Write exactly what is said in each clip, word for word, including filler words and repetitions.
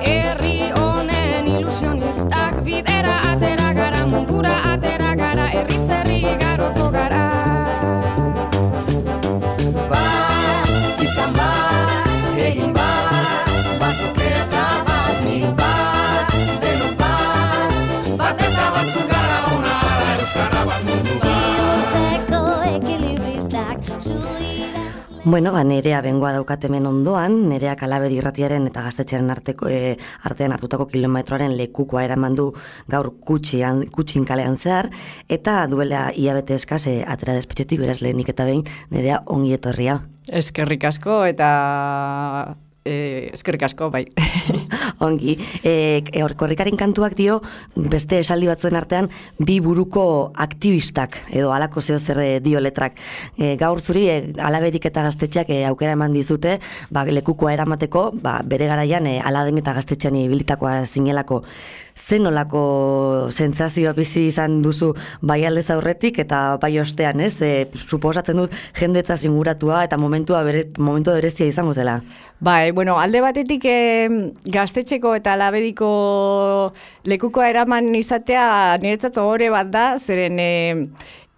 herri honen ilusionistak, bidera atera gara, mundura atera gara, herri zerri garoko gara. Bat, izan bat, egin bat, batzuk eta bat, nik bat, denok bat, bat eta batzuk gara ona, euskara bat mundu bat. Bueno, ba, Nerea bengoa daukat hemen ondoan, Nereak Alabedi irratiaren eta gaztetxearen arteko, e, artean hartutako kilometroaren lekukoa eraman du gaur kutxian, kutxin kalean zehar, eta duela hilabete eskaz e, atera despetxetik, beraz lehenik eta behin, Nerea ongi etorria. Eskerrik asko eta e, eskerrik asko, bai. Ongi, e, e, korrikaren kantuak dio, beste esaldi batzuen artean, bi buruko aktivistak, edo halako zeo zer dio letrak. E, gaur zuri, e, Alabedik eta gaztetxeak e, aukera eman dizute, ba, lekukoa eramateko, ba, bere garaian e, Aladen eta gaztetxean ibilitakoa zinelako. Zen olako sentsazioa bizi izan duzu bai aldez aurretik eta bai ostean, ez? E, suposatzen dut jendetza inguratua eta momentua bere, momentu berezia izango zela. Bai, bueno, alde batetik eh, gaztetxeko eta Alabediko lekukoa eraman izatea niretzat ohore bat da, zeren eh,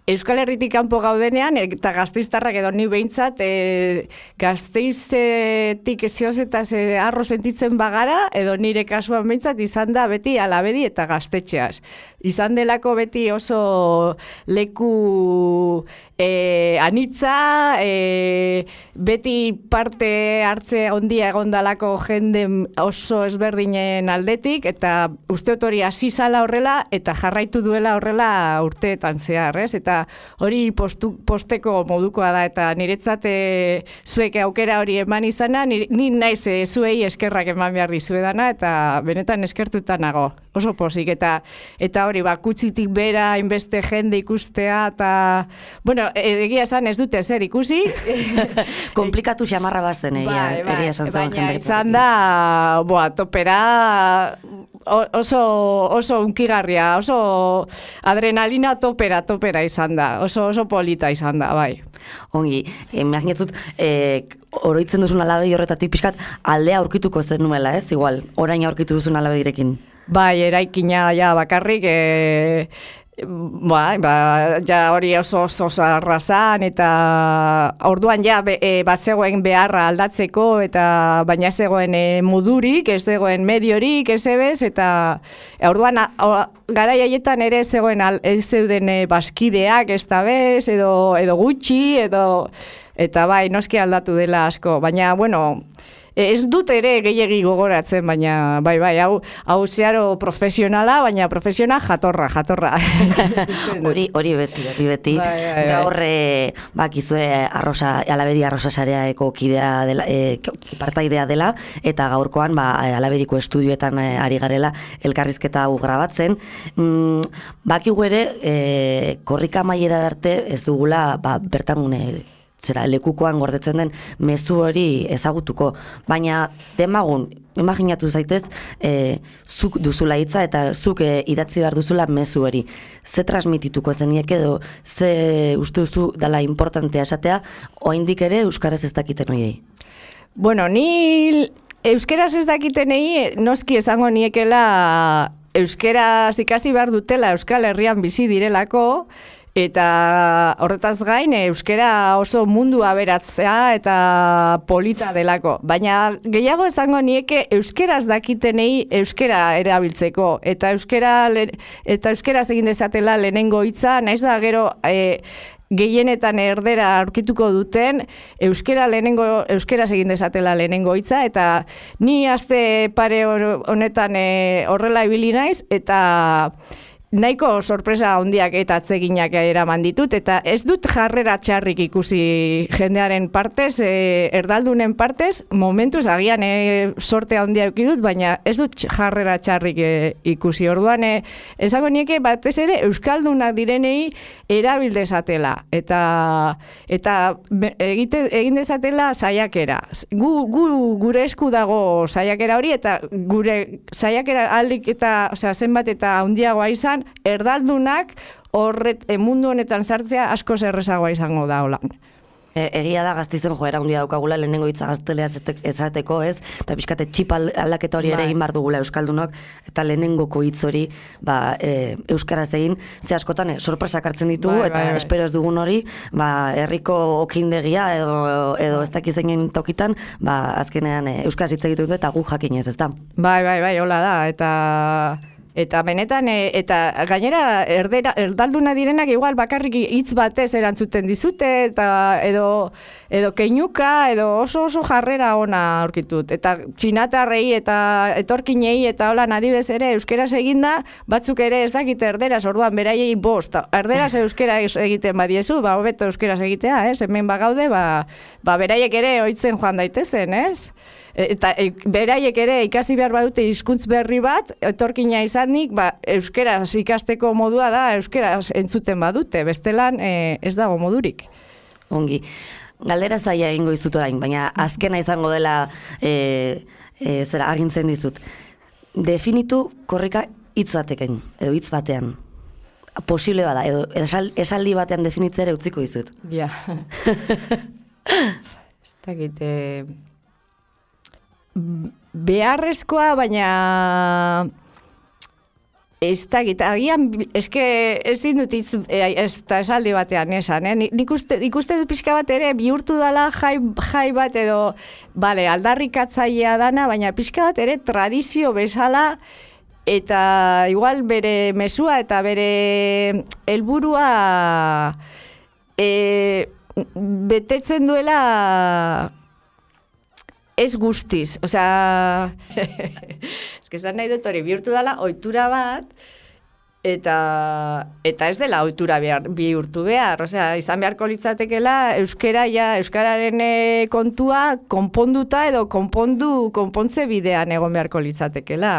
Euskal Herritik kanpo gaudenean, eta Gasteiztarrak edo ni behintzat, e, Gasteizetik zioz eta ze arro sentitzen bagara, edo nire kasuan behintzat izan da beti Alabedi eta gaztetxeaz. Izan delako beti oso leku e, anitza, e, beti parte hartze ondia egondalako jende oso ezberdinen aldetik, eta usteot hori hasi zala horrela, eta jarraitu duela horrela urteetan zehar, ez? Eta hori postu, posteko modukoa da, eta niretzat e, zuek aukera hori eman izana, ni, ni naiz e, zuei eskerrak eman behar dizuedana, eta benetan eskertuta nago, oso posik, eta eta hori, ba, kutsitik bera, inbeste jende ikustea, eta, bueno, egia esan ez dute zer ikusi. Komplikatu xamarra bazten, egia, bai, bai, egia esan zen baina izan da, boa, topera oso, oso unkigarria, oso adrenalina topera, topera izan da, oso, oso polita izan da, bai. Ongi, imaginatzut, eh, oroitzen duzun Alabedi horretatik pixkat aldea aurkituko zen nuela, ez? Igual, orain aurkitu duzun Alabedirekin. Bai, eraikina ja bakarrik, e, ba, ba, ja hori oso oso arrazan, eta orduan ja be, e, bazegoen beharra aldatzeko, eta baina ez zegoen e, mudurik, ez zegoen mediorik, ez ebez, eta e, orduan garai haietan ere ez zegoen al, ez zeuden e, baskideak, ez da bez, edo, edo gutxi, edo, eta bai, noski aldatu dela asko, baina, bueno, ez dut ere gehiegi gogoratzen, baina bai, bai, hau, hau zeharo profesionala, baina profesional jatorra, jatorra. Hori, hori beti, hori beti. Bai, bai, bai. Gaur, e, bakizue arrosa, Alabedi arrosa sareaeko kidea dela, e, partaidea dela, eta gaurkoan, ba, Alabediko estudioetan e, ari garela elkarrizketa hau grabatzen. Mm, bakigu ere, e, korrika amaiera arte ez dugula, ba, bertan e, zera, lekukoan gordetzen den mezu hori ezagutuko, baina demagun, imaginatu zaitez, e, zuk duzula hitza eta zuk e, idatzi behar duzula mezu hori. Ze transmitituko zeniek edo, ze uste duzu dela importantea esatea, oraindik ere euskaraz ez dakiten hoiei? Bueno, ni euskaraz ez dakitenei noski esango niekela euskaraz ikasi behar dutela Euskal Herrian bizi direlako, eta horretaz gain euskera oso mundu aberatzea eta polita delako. Baina gehiago esango nieke euskeraz dakitenei euskera erabiltzeko. Eta euskera eta euskeraz egin dezatela lehenengo hitza, naiz da gero e, gehienetan erdera aurkituko duten, euskera lehenengo, euskeraz egin dezatela lehenengo hitza, eta ni aste pare honetan e, horrela ibili naiz, eta nahiko sorpresa handiak eta atseginak eraman ditut, eta ez dut jarrera txarrik ikusi jendearen partez, e, erdaldunen partez, momentuz agian e, sorte handia eduki dut, baina ez dut jarrera txarrik e, ikusi. Orduan, e, esango nieke batez ere euskaldunak direnei erabil dezatela, eta eta egite, egin dezatela saiakera. Gu, gu, gure esku dago saiakera hori, eta gure saiakera aldik eta, osea, zenbat eta handiagoa izan, erdaldunak horret mundu honetan sartzea asko errezagoa izango da holan. E, egia da Gasteizen joera handia daukagula lehenengo hitza gaztelera esateko, ez? Eta pixkate txip aldaketa hori ere Bai. egin behar dugula euskaldunok, eta lehenengoko hitz hori ba, e, euskaraz egin, ze askotan e, sorpresak hartzen ditu, Bai, eta bai, bai. espero ez dugun hori, ba, herriko okindegia edo, edo ez dakizeinen tokitan, ba, azkenean e, euskaraz hitz egiten du eta gu jakinez, ez da? Bai, bai, bai, hola da, eta... Eta benetan, e, eta gainera erdera, erdalduna direnak igual bakarrik hitz batez erantzuten dizute, eta edo, edo keinuka, edo oso oso jarrera ona aurkitut. Eta txinatarrei eta etorkinei eta hola adibez ere euskeraz eginda, batzuk ere ez dakite erderaz, orduan beraiei bost. Erderaz euskera egiten badiezu, ba hobeto euskeraz egitea, ez? Hemen bagaude, ba, ba beraiek ere ohitzen joan daitezen, ez? Eta e, beraiek ere ikasi behar badute hizkuntz berri bat, etorkina izanik, ba, euskeraz ikasteko modua da, euskeraz entzuten badute, bestelan e, ez dago modurik. Ongi. Galdera zaila egingo dizut orain, baina azkena izango dela e, e, zera agintzen dizut. Definitu korrika hitz batekin, edo hitz batean. Posible bada, edo esal, esaldi batean definitzera utziko dizut. Ja. Ez dakit... beharrezkoa, baina ez dakit, agian, eske ez dut hitz ez da esaldi batean esan, eh? Nik uste, ikuste dut pixka bat ere bihurtu dala jai, jai bat edo, bale, aldarrikatzailea dana, baina pixka bat ere tradizio bezala, eta igual bere mesua eta bere helburua e, betetzen duela ez guztiz, osea, ez que zan nahi dut hori, bihurtu dela ohitura bat, eta, eta ez dela ohitura behar, bihurtu behar, osea, izan beharko litzatekela euskera ja, euskararen e, kontua konponduta edo konpondu, konpontze bidean egon beharko litzatekela.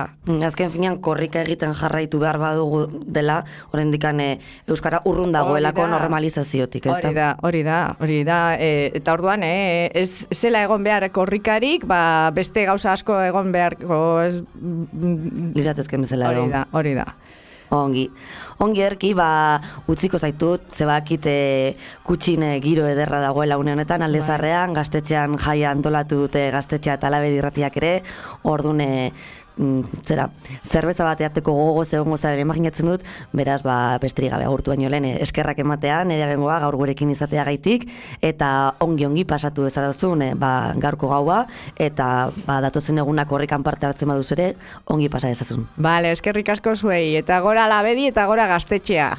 Azken finean korrika egiten jarraitu behar badugu dela, oraindikan e, euskara urrun dagoelako normalizaziotik, ez da? Hori da, hori da, hori da, e, eta orduan, e, ez zela egon behar korrikarik, ba, beste gauza asko egon beharko ez... Liratezken bezala edo. Hori da, hori da. Ongi. Ongi erki, ba, utziko zaitut, zebakit e, kutxin e, giro ederra dagoela une honetan, Aldezarrean, gaztetxean jaia antolatu dute gaztetxea eta Alabedi irratiak ere, orduan, e, zera, zerbeza bat eateko gogo zegoen gozaren imaginatzen dut, beraz, ba, besterik gabe agurtu baino lehen, eskerrak ematea, nire bengoa gaur gurekin izatea gaitik, eta ongi-ongi pasatu ezadozun, e, ba, gaurko gaua, eta ba, datozen egunak horrekan parte hartzen baduz ere, ongi pasa dezazun. Bale, eskerrik asko zuei, eta gora Alabedi eta gora gaztetxea.